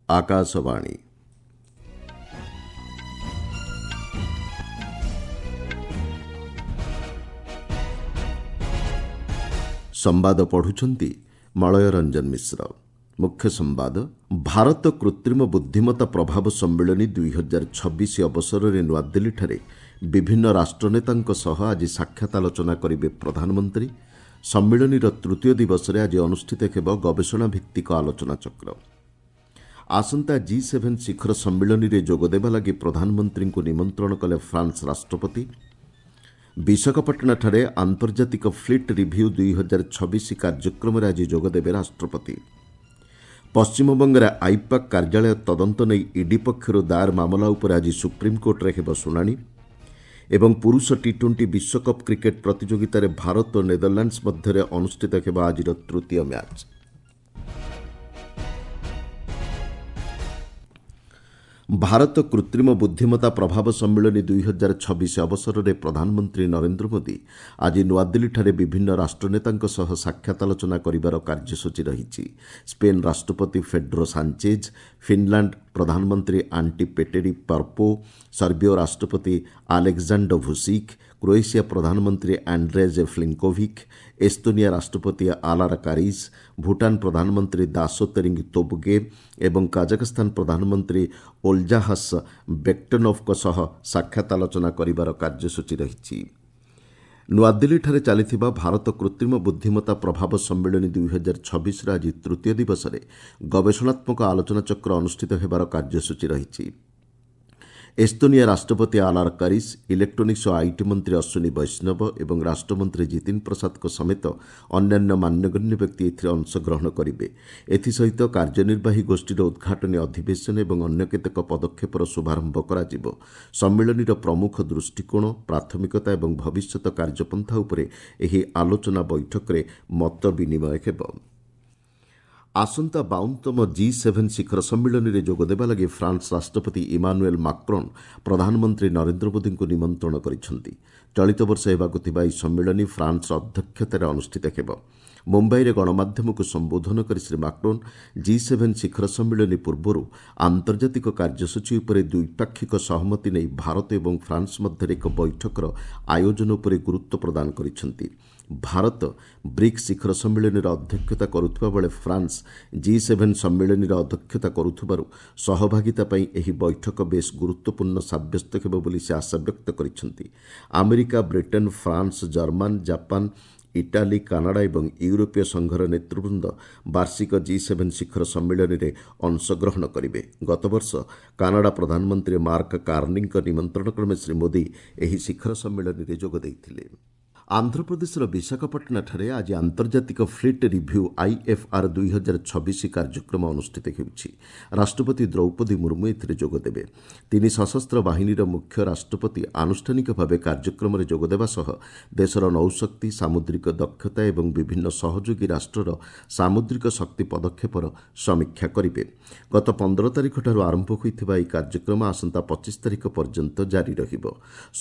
ଆକାଶବାଣୀ। ସମ୍ବାଦ ପଢ଼ୁଛନ୍ତି ମଳୟ ରଞ୍ଜନ ମିଶ୍ର। ମୁଖ୍ୟ ସମ୍ବାଦ, ଭାରତ କୃତ୍ରିମ ବୁଦ୍ଧିମତ୍ତା ପ୍ରଭାବ ସମ୍ମିଳନୀ 2026 ଅବସରରେ ନୂଆଦିଲ୍ଲୀଠାରେ ବିଭିନ୍ନ ରାଷ୍ଟ୍ରନେତାଙ୍କ ସହ ଆଜି ସାକ୍ଷାତ ଆଲୋଚନା କରିବେ ପ୍ରଧାନମନ୍ତ୍ରୀ। ସମ୍ମିଳନୀର ତୃତୀୟ ଦିବସରେ ଆଜି ଅନୁଷ୍ଠିତ ହେବ ଗବେଷଣା ଭିତ୍ତିକ ଆଲୋଚନାଚକ୍ର। ଆସନ୍ତା ଜି ସେଭେନ୍ ଶିଖର ସମ୍ମିଳନୀରେ ଯୋଗଦେବା ଲାଗି ପ୍ରଧାନମନ୍ତ୍ରୀଙ୍କୁ ନିମନ୍ତ୍ରଣ କଲେ ଫ୍ରାନ୍ସ ରାଷ୍ଟ୍ରପତି। ବିଶାଖାପାଟଣାଠାରେ ଆନ୍ତର୍ଜାତିକ ଫ୍ଲିଟ୍ ରିଭ୍ୟୁ 2026 କାର୍ଯ୍ୟକ୍ରମରେ ଆଜି ଯୋଗଦେବେ ରାଷ୍ଟ୍ରପତି। ପଶ୍ଚିମବଙ୍ଗରେ ଆଇପାକ୍ କାର୍ଯ୍ୟାଳୟ ତଦନ୍ତ ନେଇ ଇଡି ପକ୍ଷରୁ ଦାୟର ମାମଲା ଉପରେ ଆଜି ସୁପ୍ରିମକୋର୍ଟରେ ହେବ ଶୁଣାଣି। ଏବଂ ପୁରୁଷ ଟି ଟ୍ୱେଣ୍ଟି ବିଶ୍ୱକପ୍ କ୍ରିକେଟ୍ ପ୍ରତିଯୋଗିତାରେ ଭାରତ ଓ ନେଦରଲ୍ୟାଣ୍ଡସ୍ ମଧ୍ୟରେ ଅନୁଷ୍ଠିତ ହେବ ଆଜିର ତୃତୀୟ ମ୍ୟାଚ୍। ଭାରତ କୃତ୍ରିମ ବୁଦ୍ଧିମତ୍ତା ପ୍ରଭାବ ସମ୍ମିଳନୀ 2026 ଅବସରରେ ପ୍ରଧାନମନ୍ତ୍ରୀ ନରେନ୍ଦ୍ର ମୋଦି ଆଜି ନୂଆଦିଲ୍ଲୀଠାରେ ବିଭିନ୍ନ ରାଷ୍ଟ୍ରନେତାଙ୍କ ସହ ସାକ୍ଷାତ ଆଲୋଚନା କରିବାର କାର୍ଯ୍ୟସୂଚୀ ରହିଛି। ସ୍ପେନ୍ ରାଷ୍ଟ୍ରପତି ପେଡ୍ରୋ ସାଞ୍ଚେଜ୍, ଫିନ୍ଲାଣ୍ଡ ପ୍ରଧାନମନ୍ତ୍ରୀ ଆଣ୍ଟି ପେଟେରି ପର୍ପୋ, ସର୍ବିୟ ରାଷ୍ଟ୍ରପତି ଆଲେକ୍ଜାଣ୍ଡର ଭୁସିକ୍, କ୍ରୋଏସିଆ ପ୍ରଧାନମନ୍ତ୍ରୀ ଆଣ୍ଡ୍ରେଜ୍ ପ୍ଲେଙ୍କୋଭିକ୍, ଏସ୍ତୋନିଆ ରାଷ୍ଟ୍ରପତି ଆଲାର କାରିସ୍, ଭୁଟାନ ପ୍ରଧାନମନ୍ତ୍ରୀ ଦାସୋ ତେରିଙ୍ଗ ତୋବଗେ ଏବଂ କାଜାଖସ୍ତାନ ପ୍ରଧାନମନ୍ତ୍ରୀ ଓଲ୍ଜାହାସ୍ ବେକ୍ଟେନୋଭ୍ଙ୍କ ସହ ସାକ୍ଷାତ ଆଲୋଚନା କରିବାର କାର୍ଯ୍ୟସୂଚୀ ରହିଛି। ନୂଆଦିଲ୍ଲୀଠାରେ ଚାଲିଥିବା ଭାରତ କୃତ୍ରିମ ବୁଦ୍ଧିମତ୍ତା ପ୍ରଭାବ ସମ୍ମିଳନୀ 2026ର ଆଜି ତୃତୀୟ ଦିବସରେ ଗବେଷଣାତ୍ମକ ଆଲୋଚନାଚକ୍ର ଅନୁଷ୍ଠିତ ହେବାର କାର୍ଯ୍ୟସୂଚୀ ରହିଛି। ଏସ୍ତୋନିଆ ରାଷ୍ଟ୍ରପତି ଆଲାର କାରିସ୍, ଇଲେକ୍ଟ୍ରୋନିକ୍ସ ଓ IT ମନ୍ତ୍ରୀ ଅଶ୍ୱିନୀ ବୈଷ୍ଣବ ଏବଂ ରାଷ୍ଟ୍ରମନ୍ତ୍ରୀ ଜିତିନ ପ୍ରସାଦଙ୍କ ସମେତ ଅନ୍ୟାନ୍ୟ ମାନ୍ୟଗଣ୍ୟ ବ୍ୟକ୍ତି ଏଥିରେ ଅଂଶଗ୍ରହଣ କରିବେ। ଏଥିସହିତ କାର୍ଯ୍ୟନିର୍ବାହୀ ଗୋଷ୍ଠୀର ଉଦ୍ଘାଟନୀ ଅଧିବେଶନ ଏବଂ ଅନ୍ୟ କେତେକ ପଦକ୍ଷେପର ଶୁଭାରମ୍ଭ କରାଯିବ। ସମ୍ମିଳନୀର ପ୍ରମୁଖ ଦୃଷ୍ଟିକୋଣ, ପ୍ରାଥମିକତା ଏବଂ ଭବିଷ୍ୟତ କାର୍ଯ୍ୟପନ୍ଥା ଉପରେ ଏହି ଆଲୋଚନା ବୈଠକରେ ମତ ବିନିମୟ ହେବ। ଆସନ୍ତା 52ତମ ଜି ସେଭେନ୍ ଶିଖର ସମ୍ମିଳନୀରେ ଯୋଗଦେବା ଲାଗି ଫ୍ରାନ୍ସ ରାଷ୍ଟ୍ରପତି ଇମାନୁଏଲ୍ ମାକ୍ରୋନ୍ ପ୍ରଧାନମନ୍ତ୍ରୀ ନରେନ୍ଦ୍ର ମୋଦିଙ୍କୁ ନିମନ୍ତ୍ରଣ କରିଛନ୍ତି। ଚଳିତ ବର୍ଷ ହେବାକୁ ଥିବା ଏହି ସମ୍ମିଳନୀ ଫ୍ରାନ୍ସର ଅଧ୍ୟକ୍ଷତାରେ ଅନୁଷ୍ଠିତ ହେବ। ମୁମ୍ବାଇରେ ଗଣମାଧ୍ୟମକୁ ସମ୍ବୋଧନ କରି ଶ୍ରୀ ମାକ୍ରୋନ୍ ଜି ସେଭେନ୍ ଶିଖର ସମ୍ମିଳନୀ ପୂର୍ବରୁ ଆନ୍ତର୍ଜାତିକ କାର୍ଯ୍ୟସୂଚୀ ଉପରେ ଦ୍ୱିପାକ୍ଷିକ ସହମତି ନେଇ ଭାରତ ଏବଂ ଫ୍ରାନ୍ସ ମଧ୍ୟରେ ଏକ ବୈଠକର ଆୟୋଜନ ଉପରେ ଗୁରୁତ୍ୱ ପ୍ରଦାନ କରିଛନ୍ତି। ଭାରତ ବ୍ରିକ୍ସ ଶିଖର ସମ୍ମିଳନୀର ଅଧ୍ୟକ୍ଷତା କରୁଥିବା ବେଳେ ଫ୍ରାନ୍ସ ଜି ସେଭେନ୍ ସମ୍ମିଳନୀର ଅଧ୍ୟକ୍ଷତା କରୁଥିବାରୁ ସହଭାଗିତା ପାଇଁ ଏହି ବୈଠକ ବେଶ୍ ଗୁରୁତ୍ୱପୂର୍ଣ୍ଣ ସାବ୍ୟସ୍ତ ହେବ ବୋଲି ସେ ଆଶାବ୍ୟକ୍ତ କରିଛନ୍ତି। America, Britain, France, German, Japan, Italy, Canada ଏବଂ ୟୁରୋପୀୟ ସଂଘର ନେତୃବୃନ୍ଦ ବାର୍ଷିକ ଜି ସେଭେନ୍ ଶିଖର ସମ୍ମିଳନୀରେ ଅଂଶଗ୍ରହଣ କରିବେ। ଗତବର୍ଷ କାନାଡା ପ୍ରଧାନମନ୍ତ୍ରୀ ମାର୍କ କାର୍ନିଙ୍କ ନିମନ୍ତ୍ରଣ କ୍ରମେ ଶ୍ରୀ ମୋଦି ଏହି ଶିଖର ସମ୍ମିଳନୀରେ ଯୋଗ ଦେଇଥିଲେ। ଆନ୍ଧ୍ରପ୍ରଦେଶର ବିଶାଖାପାଟଣାଠାରେ ଆଜି ଆନ୍ତର୍ଜାତିକ ଫ୍ଲିଟ୍ ରିଭ୍ୟୁ ଆଇଏଫ୍ଆର୍ 2026 କାର୍ଯ୍ୟକ୍ରମ ଅନୁଷ୍ଠିତ ହେଉଛି। ରାଷ୍ଟ୍ରପତି ଦ୍ରୌପଦୀ ମୁର୍ମୁ ଏଥିରେ ଯୋଗଦେବେ। ତିନି ସଶସ୍ତ୍ର ବାହିନୀର ମୁଖ୍ୟ ରାଷ୍ଟ୍ରପତି ଆନୁଷ୍ଠାନିକ ଭାବେ କାର୍ଯ୍ୟକ୍ରମରେ ଯୋଗଦେବା ସହ ଦେଶର ନୌଶକ୍ତି, ସାମୁଦ୍ରିକ ଦକ୍ଷତା ଏବଂ ବିଭିନ୍ନ ସହଯୋଗୀ ରାଷ୍ଟ୍ରର ସାମୁଦ୍ରିକ ଶକ୍ତି ପଦକ୍ଷେପର ସମୀକ୍ଷା କରିବେ। ଗତ 15 ତାରିଖଠାରୁ ଆରମ୍ଭ ହୋଇଥିବା ଏହି କାର୍ଯ୍ୟକ୍ରମ ଆସନ୍ତା 25 ତାରିଖ ପର୍ଯ୍ୟନ୍ତ ଜାରି ରହିବ।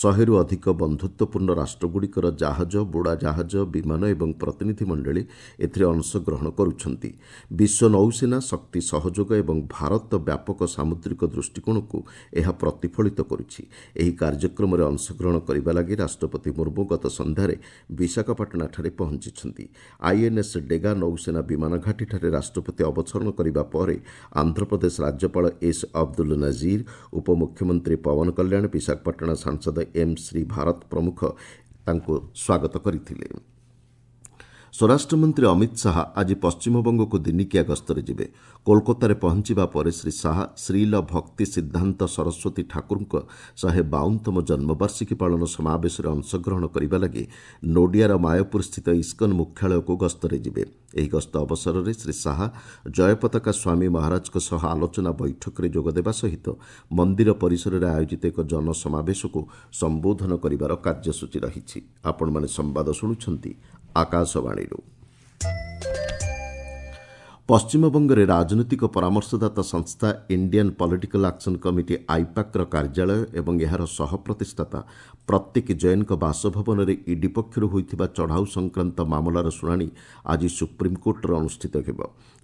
100ରୁ ଅଧିକ ବନ୍ଧୁତ୍ୱପୂର୍ଣ୍ଣ ରାଷ୍ଟ୍ରଗୁଡ଼ିକର ଜାହାଜ, ବୁଡ଼ାଜାହାଜ, ବିମାନ ଏବଂ ପ୍ରତିନିଧି ମଣ୍ଡଳୀ ଏଥିରେ ଅଂଶଗ୍ରହଣ କରୁଛନ୍ତି। ବିଶ୍ୱ ନୌସେନା ଶକ୍ତି ସହଯୋଗ ଏବଂ ଭାରତ ବ୍ୟାପକ ସାମୁଦ୍ରିକ ଦୃଷ୍ଟିକୋଣକୁ ଏହା ପ୍ରତିଫଳିତ କରୁଛି। ଏହି କାର୍ଯ୍ୟକ୍ରମରେ ଅଂଶଗ୍ରହଣ କରିବା ଲାଗି ରାଷ୍ଟ୍ରପତି ମୁର୍ମୁ ଗତ ସନ୍ଧ୍ୟାରେ ବିଶାଖାପାଟଣାଠାରେ ପହଞ୍ଚିଛନ୍ତି। ଆଇଏନ୍ଏସ୍ ଡେଗା ନୌସେନା ବିମାନ ଘାଟିଠାରେ ରାଷ୍ଟ୍ରପତି ଅବତରଣ କରିବା ପରେ ଆନ୍ଧ୍ରପ୍ରଦେଶ ରାଜ୍ୟପାଳ ଏସ୍ ଅବଦୁଲ ନଜିର, ଉପମୁଖ୍ୟମନ୍ତ୍ରୀ ପବନ କଲ୍ୟାଣ, ବିଶାଖାପାଟଣା ସାଂସଦ ଏମ୍ ଶ୍ରୀ ଭାରତ ପ୍ରମୁଖ ତାଙ୍କୁ ସ୍ୱାଗତ କରିଥିଲେ। ସ୍ୱରାଷ୍ଟ୍ରମନ୍ତ୍ରୀ ଅମିତ ଶାହା ଆଜି ପଶ୍ଚିମବଙ୍ଗକୁ ଦିନିକିଆ ଗସ୍ତରେ ଯିବେ। କୋଲକାତାରେ ପହଞ୍ଚିବା ପରେ ଶ୍ରୀ ଶାହା ଶ୍ରୀଲ ଭକ୍ତି ସିଦ୍ଧାନ୍ତ ସରସ୍ୱତୀ ଠାକୁରଙ୍କ 152ତମ ଜନ୍ମବାର୍ଷିକୀ ପାଳନ ସମାବେଶରେ ଅଂଶଗ୍ରହଣ କରିବା ଲାଗି ନୋଡିଆର ମାୟାପୁରସ୍ଥିତ ଇସ୍କନ ମୁଖ୍ୟାଳୟକୁ ଗସ୍ତରେ ଯିବେ। ଏହି ଗସ୍ତ ଅବସରରେ ଶ୍ରୀ ଶାହା ଜୟପତାକା ସ୍ୱାମୀ ମହାରାଜଙ୍କ ସହ ଆଲୋଚନା ବୈଠକରେ ଯୋଗଦେବା ସହିତ ମନ୍ଦିର ପରିସରରେ ଆୟୋଜିତ ଏକ ଜନସମାବେଶକୁ ସମ୍ବୋଧନ କରିବାର କାର୍ଯ୍ୟସୂଚୀ ରହିଛି। ଆପଣମାନେ ସମ୍ବାଦ ଶୁଣୁଛନ୍ତି ଆକାଶବାଣୀରୁ। ପଶ୍ଚିମବଙ୍ଗରେ ରାଜନୈତିକ ପରାମର୍ଶଦାତା ସଂସ୍ଥା ଇଣ୍ଡିଆନ୍ ପଲିଟିକାଲ୍ ଆକ୍ସନ୍ କମିଟି ଆଇପାକ୍ର କାର୍ଯ୍ୟାଳୟ ଏବଂ ଏହାର ସହପ୍ରତିଷ୍ଠାତା ପ୍ରତୀକ ଜୈନଙ୍କ ବାସଭବନରେ ଇଡି ପକ୍ଷରୁ ହୋଇଥିବା ଚଢ଼ାଉ ସଂକ୍ରାନ୍ତ ମାମଲାର ଶୁଣାଣି ଆଜି ସୁପ୍ରିମକୋର୍ଟରେ ଅନୁଷ୍ଠିତ ହେବ।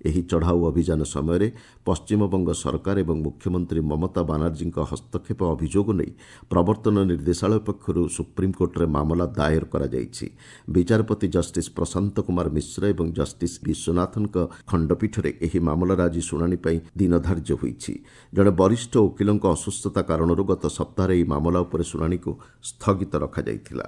ଏହି ଚଢ଼ାଉ ଅଭିଯାନ ସମୟରେ ପଶ୍ଚିମବଙ୍ଗ ସରକାର ଏବଂ ମୁଖ୍ୟମନ୍ତ୍ରୀ ମମତା ବାନାର୍ଜୀଙ୍କ ହସ୍ତକ୍ଷେପ ଅଭିଯୋଗ ନେଇ ପ୍ରବର୍ତ୍ତନ ନିର୍ଦ୍ଦେଶାଳୟ ପକ୍ଷରୁ ସୁପ୍ରିମକୋର୍ଟରେ ମାମଲା ଦାଏର କରାଯାଇଛି। ବିଚାରପତି ଜଷ୍ଟିସ୍ ପ୍ରଶାନ୍ତ କୁମାର ମିଶ୍ର ଏବଂ ଜଷ୍ଟିସ୍ ବିଶ୍ୱନାଥନଙ୍କ ଖଣ୍ଡପୀଠରେ ଏହି ମାମଲାର ଆଜି ଶୁଣାଣି ପାଇଁ ଦିନ ଧାର୍ଯ୍ୟ ହୋଇଛି। ଜଣେ ବରିଷ୍ଠ ଓକିଲଙ୍କ ଅସୁସ୍ଥତା କାରଣରୁ ଗତ ସପ୍ତାହରେ ଏହି ମାମଲା ଉପରେ ଶୁଣାଣିକୁ ସ୍ଥଗିତ ରଖାଯାଇଥିଲା।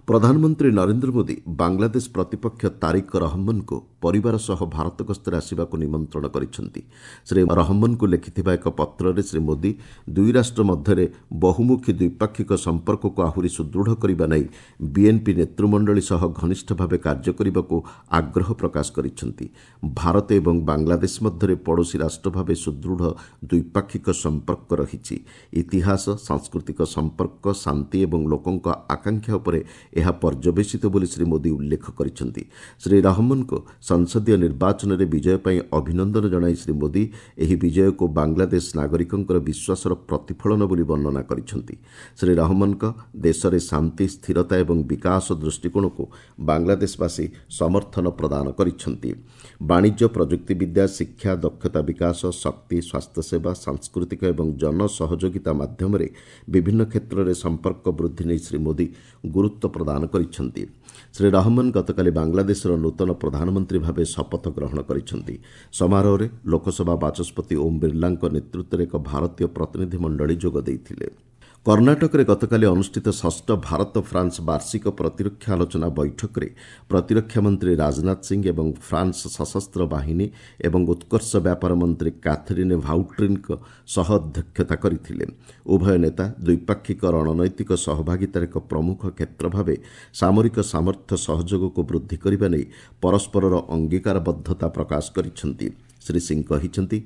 ପ୍ରଧାନମନ୍ତ୍ରୀ ନରେନ୍ଦ୍ର ମୋଦି ବାଂଲାଦେଶ ପ୍ରତିପକ୍ଷ ତାରିକ ରହମନଙ୍କୁ ପରିବାର ସହ ଭାରତ ଗସ୍ତରେ ଆସିବାକୁ ନିମନ୍ତ୍ରଣ କରିଛନ୍ତି। ଶ୍ରୀ ରହମନଙ୍କୁ ଲେଖିଥିବା ଏକ ପତ୍ରରେ ଶ୍ରୀ ମୋଦି ଦୁଇ ରାଷ୍ଟ୍ର ମଧ୍ୟରେ ବହୁମୁଖୀ ଦ୍ୱିପାକ୍ଷିକ ସମ୍ପର୍କକୁ ଆହୁରି ସୁଦୃଢ଼ କରିବା ନେଇ ବିଏନ୍ପି ନେତୃମଣ୍ଡଳୀ ସହ ଘନିଷ୍ଠ ଭାବେ କାର୍ଯ୍ୟ କରିବାକୁ ଆଗ୍ରହ ପ୍ରକାଶ କରିଛନ୍ତି। ଭାରତ ଏବଂ ବାଂଲାଦେଶ ମଧ୍ୟରେ ପଡ଼ୋଶୀ ରାଷ୍ଟ୍ର ଭାବେ ସୁଦୃଢ଼ ଦ୍ୱିପାକ୍ଷିକ ସମ୍ପର୍କ ରହିଛି। ଇତିହାସ, ସାଂସ୍କୃତିକ ସମ୍ପର୍କ, ଶାନ୍ତି ଏବଂ ଲୋକଙ୍କ ଆକାଂକ୍ଷା ଉପରେ ଏହା ପର୍ଯ୍ୟବେସିତ ବୋଲି ଶ୍ରୀ ମୋଦି ଉଲ୍ଲେଖ କରିଛନ୍ତି। ଶ୍ରୀ ରହମନଙ୍କୁ ସଂସଦୀୟ ନିର୍ବାଚନରେ ବିଜୟ ପାଇଁ ଅଭିନନ୍ଦନ ଜଣାଇ ଶ୍ରୀ ମୋଦି ଏହି ବିଜୟକୁ ବାଂଲାଦେଶ ନାଗରିକଙ୍କର ବିଶ୍ୱାସର ପ୍ରତିଫଳନ ବୋଲି ବର୍ଣ୍ଣନା କରିଛନ୍ତି। ଶ୍ରୀ ରହମନଙ୍କ ଦେଶରେ ଶାନ୍ତି, ସ୍ଥିରତା ଏବଂ ବିକାଶ ଦୃଷ୍ଟିକୋଣକୁ ବାଂଲାଦେଶବାସୀ ସମର୍ଥନ ପ୍ରଦାନ କରିଛନ୍ତି। ବାଣିଜ୍ୟ, ପ୍ରଯୁକ୍ତିବିଦ୍ୟା, ଶିକ୍ଷା, ଦକ୍ଷତା ବିକାଶ, ଶକ୍ତି, ସ୍ୱାସ୍ଥ୍ୟସେବା, ସାଂସ୍କୃତିକ ଏବଂ ଜନସହଯୋଗିତା ମାଧ୍ୟମରେ ବିଭିନ୍ନ କ୍ଷେତ୍ରରେ ସମ୍ପର୍କ ବୃଦ୍ଧି ନେଇ ଶ୍ରୀ ମୋଦି ଗୁରୁତ୍ୱ ପ୍ରଦାନ କରିଛନ୍ତି। ଶ୍ରୀ ରହମନ ଗତକାଲି ବାଂଲାଦେଶର ନୂତନ ପ୍ରଧାନମନ୍ତ୍ରୀ ଭାବେ ଶପଥ ଗ୍ରହଣ କରିଛନ୍ତି। ସମାରୋହରେ ଲୋକସଭା ବାଚସ୍ପତି ଓମ୍ ବିର୍ଲାଙ୍କ ନେତୃତ୍ୱରେ ଏକ ଭାରତୀୟ ପ୍ରତିନିଧି ମଣ୍ଡଳୀ ଯୋଗ ଦେଇଥିଲେ। କର୍ଣ୍ଣାଟକରେ ଗତକାଲି ଅନୁଷ୍ଠିତ ଷଷ୍ଠ ଭାରତ ଫ୍ରାନ୍ସ ବାର୍ଷିକ ପ୍ରତିରକ୍ଷା ଆଲୋଚନା ବୈଠକରେ ପ୍ରତିରକ୍ଷା ମନ୍ତ୍ରୀ ରାଜନାଥ ସିଂ ଏବଂ ଫ୍ରାନ୍ସ ସଶସ୍ତ୍ର ବାହିନୀ ଏବଂ ଉତ୍କର୍ଷ ବ୍ୟାପାର ମନ୍ତ୍ରୀ କାଥରିନ୍ ଭାଉଟ୍ରିନ୍ଙ୍କ ସହ ଅଧ୍ୟକ୍ଷତା କରିଥିଲେ। ଉଭୟ ନେତା ଦ୍ୱିପାକ୍ଷିକ ରଣନୈତିକ ସହଭାଗିତାର ଏକ ପ୍ରମୁଖ କ୍ଷେତ୍ର ଭାବେ ସାମରିକ ସାମର୍ଥ୍ୟ ସହଯୋଗକୁ ବୃଦ୍ଧି କରିବା ନେଇ ପରସ୍ପରର ଅଙ୍ଗୀକାରବଦ୍ଧତା ପ୍ରକାଶ କରିଛନ୍ତି। ଶ୍ରୀ ସିଂ କହିଛନ୍ତି,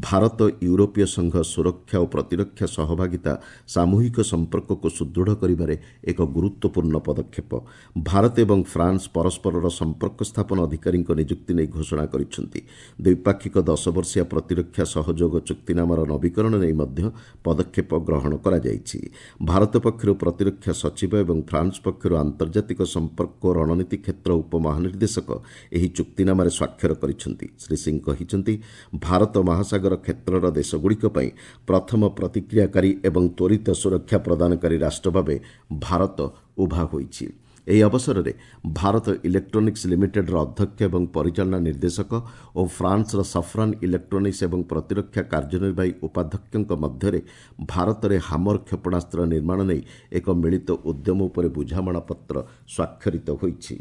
ଭାରତ ୟୁରୋପୀୟ ସଂଘ ସୁରକ୍ଷା ଓ ପ୍ରତିରକ୍ଷା ସହଭାଗିତା ସାମୂହିକ ସମ୍ପର୍କକୁ ସୁଦୃଢ଼ କରିବାରେ ଏକ ଗୁରୁତ୍ୱପୂର୍ଣ୍ଣ ପଦକ୍ଷେପ। ଭାରତ ଏବଂ ଫ୍ରାନ୍ସ ପରସ୍ପରର ସମ୍ପର୍କ ସ୍ଥାପନ ଅଧିକାରୀଙ୍କ ନିଯୁକ୍ତି ନେଇ ଘୋଷଣା କରିଛନ୍ତି। ଦ୍ୱିପାକ୍ଷିକ 10 ବର୍ଷିଆ ପ୍ରତିରକ୍ଷା ସହଯୋଗ ଚୁକ୍ତିନାମାର ନବୀକରଣ ନେଇ ମଧ୍ୟ ପଦକ୍ଷେପ ଗ୍ରହଣ କରାଯାଇଛି। ଭାରତ ପକ୍ଷରୁ ପ୍ରତିରକ୍ଷା ସଚିବ ଏବଂ ଫ୍ରାନ୍ସ ପକ୍ଷରୁ ଆନ୍ତର୍ଜାତିକ ସମ୍ପର୍କ ଓ ରଣନୀତି କ୍ଷେତ୍ର ଉପମହାନିର୍ଦ୍ଦେଶକ ଏହି ଚୁକ୍ତିନାମାରେ ସ୍ୱାକ୍ଷର କରିଛନ୍ତି। ଶ୍ରୀ ସିଂ କହିଛନ୍ତି, ଭାରତ ମହାସାଗର କ୍ଷେତ୍ରର ଦେଶଗୁଡ଼ିକ ପାଇଁ ପ୍ରଥମ ପ୍ରତିକ୍ରିୟାକାରୀ ଏବଂ ତ୍ୱରିତ ସୁରକ୍ଷା ପ୍ରଦାନକାରୀ ରାଷ୍ଟ୍ର ଭାବେ ଭାରତ ଉଭା ହୋଇଛି। ଏହି ଅବସରରେ ଭାରତ ଇଲେକ୍ଟ୍ରୋନିକ୍ସ ଲିମିଟେଡ୍ର ଅଧ୍ୟକ୍ଷ ଏବଂ ପରିଚାଳନା ନିର୍ଦ୍ଦେଶକ ଓ ଫ୍ରାନ୍ସର ସଫ୍ରାନ୍ ଇଲେକ୍ଟ୍ରୋନିକ୍ସ ଏବଂ ପ୍ରତିରକ୍ଷା କାର୍ଯ୍ୟନିର୍ବାହୀ ଉପାଧ୍ୟକ୍ଷଙ୍କ ମଧ୍ୟରେ ଭାରତରେ ହାମର କ୍ଷେପଣାସ୍ତ୍ର ନିର୍ମାଣ ନେଇ ଏକ ମିଳିତ ଉଦ୍ୟମ ଉପରେ ବୁଝାମଣାପତ୍ର ସ୍ୱାକ୍ଷରିତ ହୋଇଛି।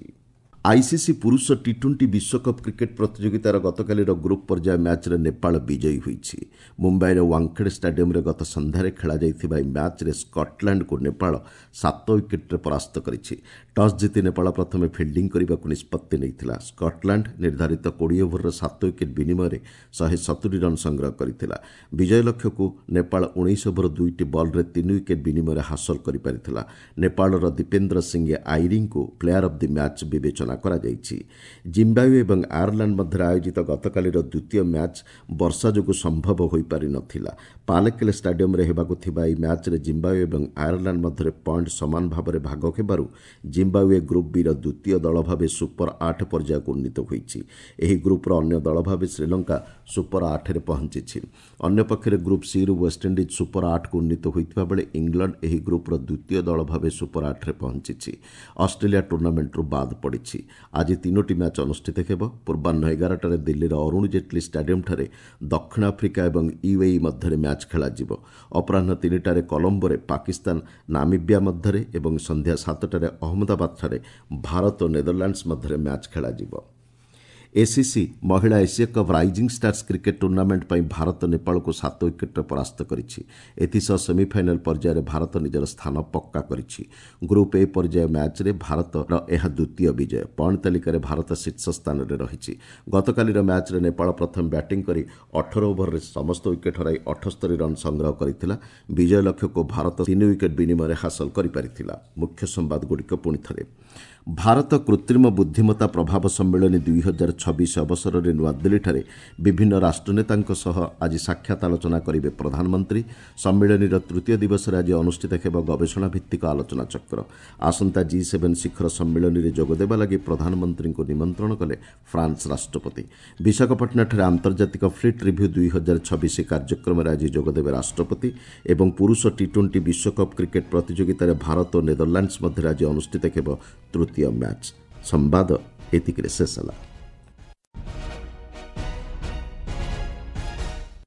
ଆଇସିସି ପୁରୁଷ ଟି-20 ବିଶ୍ୱକପ୍ କ୍ରିକେଟ୍ ପ୍ରତିଯୋଗିତାର ଗତକାଲିର ଗ୍ରୁପ୍ ପର୍ଯ୍ୟାୟ ମ୍ୟାଚ୍ରେ ନେପାଳ ବିଜୟୀ ହୋଇଛି। ମୁମ୍ବାଇର ୱାଙ୍ଗଖେଡେ ଷ୍ଟାଡିୟମ୍ରେ ଗତ ସନ୍ଧ୍ୟାରେ ଖେଳାଯାଇଥିବା ଏହି ମ୍ୟାଚ୍ରେ ସ୍କଟଲ୍ୟାଣ୍ଡକୁ ନେପାଳ 7 ୱିକେଟ୍ରେ ପରାସ୍ତ କରିଛି। ଟସ୍ ଜିତି ନେପାଳ ପ୍ରଥମେ ଫିଲ୍ଡିଂ କରିବାକୁ ନିଷ୍ପତ୍ତି ନେଇଥିଲା। ସ୍କଟଲ୍ୟାଣ୍ଡ ନିର୍ଦ୍ଧାରିତ 20 ଓଭରରେ 7 ୱିକେଟ୍ ବିନିମୟରେ 170 ରନ୍ ସଂଗ୍ରହ କରିଥିଲା। ବିଜୟ ଲକ୍ଷ୍ୟକୁ ନେପାଳ 19 ଓଭର 2ଟି ବଲ୍ରେ 3 ୱିକେଟ୍ ବିନିମୟରେ ହାସଲ କରିପାରିଥିଲା। ନେପାଳର ଦୀପେନ୍ଦ୍ର ସିଂ ଆଇରିଙ୍କୁ ପ୍ଲେୟାର ଅଫ୍ the match ବିବେଚନା କରାଯାଇଛି। ଜିମ୍ବାୱେ ଏବଂ ଆୟାରଲାଣ୍ଡ ମଧ୍ୟରେ ଆୟୋଜିତ ଗତକାଲିର ଦ୍ୱିତୀୟ ମ୍ୟାଚ୍ ବର୍ଷା ଯୋଗୁଁ ସମ୍ଭବ ହୋଇପାରିନଥିଲା। ପାଲେକେଲେ ଷ୍ଟାଡିୟମ୍ରେ ହେବାକୁ ଥିବା ଏହି ମ୍ୟାଚ୍ରେ ଜିମ୍ବାୱେ ଏବଂ ଆୟାରଲାଣ୍ଡ ମଧ୍ୟରେ ପଏଣ୍ଟ ସମାନ ଭାବରେ ଭାଗ ହେବାରୁ ଜିମ୍ବାୱେ ଗ୍ରୁପ୍ ବିର ଦ୍ୱିତୀୟ ଦଳ ଭାବେ ସୁପର 8 ପର୍ଯ୍ୟାୟକୁ ଉନ୍ନୀତ ହୋଇଛି। ଏହି ଗ୍ରୁପ୍ର ଅନ୍ୟ ଦଳ ଭାବେ ଶ୍ରୀଲଙ୍କା ସୁପର 8ରେ ପହଞ୍ଚିଛି। ଅନ୍ୟପକ୍ଷରେ ଗ୍ରୁପ୍ ସିରୁ ୱେଷ୍ଟଇଣ୍ଡିଜ୍ ସୁପର 8କୁ ଉନ୍ନୀତ ହୋଇଥିବା ବେଳେ ଇଂଲଣ୍ଡ ଏହି ଗ୍ରୁପ୍ର ଦ୍ୱିତୀୟ ଦଳ ଭାବେ ସୁପର 8ରେ ପହଞ୍ଚିଛି। ଅଷ୍ଟ୍ରେଲିଆ ଟୁର୍ଣ୍ଣାମେଣ୍ଟରୁ ବାଦ୍ ପଡ଼ିଛି। ଆଜି 3ଟି ମ୍ୟାଚ୍ ଅନୁଷ୍ଠିତ ହେବ। ପୂର୍ବାହ୍ନ 11ଟାରେ ଦିଲ୍ଲୀର ଅରୁଣ ଜେଟ୍ଲୀ ଷ୍ଟାଡିୟମ୍ଠାରେ ଦକ୍ଷିଣ ଆଫ୍ରିକା ଏବଂ ୟୁଏଇ ମଧ୍ୟରେ ମ୍ୟାଚ୍ ଖେଳାଯିବ। ଅପରାହ୍ନ 3ଟାରେ କଲମ୍ବୋରେ ପାକିସ୍ତାନ ନାମିବିଆ ମଧ୍ୟରେ ଏବଂ ସନ୍ଧ୍ୟା 7ଟାରେ ଅହମ୍ମଦାବାଦଠାରେ ଭାରତ ଓ ନେଦରଲ୍ୟାଣ୍ଡସ୍ ମଧ୍ୟରେ ମ୍ୟାଚ୍ ଖେଳାଯିବ। ଏସିସି ମହିଳା Asia cup rising stars cricket tournament ପାଇଁ ଭାରତ ନେପାଳକୁ 7 ୱିକେଟ୍ରେ ପରାସ୍ତ କରିଛି। ଏଥିସହ ସେମିଫାଇନାଲ୍ ପର୍ଯ୍ୟାୟରେ ଭାରତ ନିଜର ସ୍ଥାନ ପକ୍କା କରିଛି। ଗ୍ରୁପ୍ ଏ ପର୍ଯ୍ୟାୟ ମ୍ୟାଚ୍ରେ ଭାରତର ଏହା ଦ୍ୱିତୀୟ ବିଜୟ। ପଏଣ୍ଟ ତାଲିକାରେ ଭାରତ ଶୀର୍ଷ ସ୍ଥାନରେ ରହିଛି। ଗତକାଲିର ମ୍ୟାଚ୍ରେ ନେପାଳ ପ୍ରଥମେ ବ୍ୟାଟିଂ କରି 18 ଓଭରରେ ସମସ୍ତ ୱିକେଟ୍ ହରାଇ 78 ରନ୍ ସଂଗ୍ରହ କରିଥିଲା। ବିଜୟ ଲକ୍ଷ୍ୟକୁ ଭାରତ 3 ୱିକେଟ୍ ବିନିମୟରେ ହାସଲ କରିପାରିଥିଲା। ମୁଖ୍ୟ ସମ୍ବାଦଗୁଡ଼ିକ ପୁଣି ଥରେ। ଭାରତ କୃତ୍ରିମ ବୁଦ୍ଧିମତ୍ତା ପ୍ରଭାବ ସମ୍ମିଳନୀ 2026 ଅବସରରେ ନୂଆଦିଲ୍ଲୀଠାରେ ବିଭିନ୍ନ ରାଷ୍ଟ୍ରନେତାଙ୍କ ସହ ଆଜି ସାକ୍ଷାତ ଆଲୋଚନା କରିବେ ପ୍ରଧାନମନ୍ତ୍ରୀ। ସମ୍ମିଳନୀର ତୃତୀୟ ଦିବସରେ ଆଜି ଅନୁଷ୍ଠିତ ହେବ ଗବେଷଣାଭିତ୍ତିକ ଆଲୋଚନାଚକ୍ର। ଆସନ୍ତା ଜି7 ଶିଖର ସମ୍ମିଳନୀରେ ଯୋଗଦେବା ଲାଗି ପ୍ରଧାନମନ୍ତ୍ରୀଙ୍କୁ ନିମନ୍ତ୍ରଣ କଲେ ଫ୍ରାନ୍ସ ରାଷ୍ଟ୍ରପତି। ବିଶାଖାପାଟଣାଠାରେ ଆନ୍ତର୍ଜାତିକ ଫ୍ଲିଟ୍ ରିଭ୍ୟୁ 2026 କାର୍ଯ୍ୟକ୍ରମରେ ଆଜି ଯୋଗଦେବେ ରାଷ୍ଟ୍ରପତି ଏବଂ ପୁରୁଷ ଟି20 ବିଶ୍ୱକପ୍ କ୍ରିକେଟ୍ ପ୍ରତିଯୋଗିତାରେ ଭାରତ ଓ ନେଦରଲ୍ୟାଣ୍ଡସ୍ ମଧ୍ୟରେ ଆଜି ଅନୁଷ୍ଠିତ ହେବ ତୃତୀୟ ମ୍ୟାଚ୍। ସମ୍ବାଦ ଏତିକିରେ ଶେଷ ହେଲା।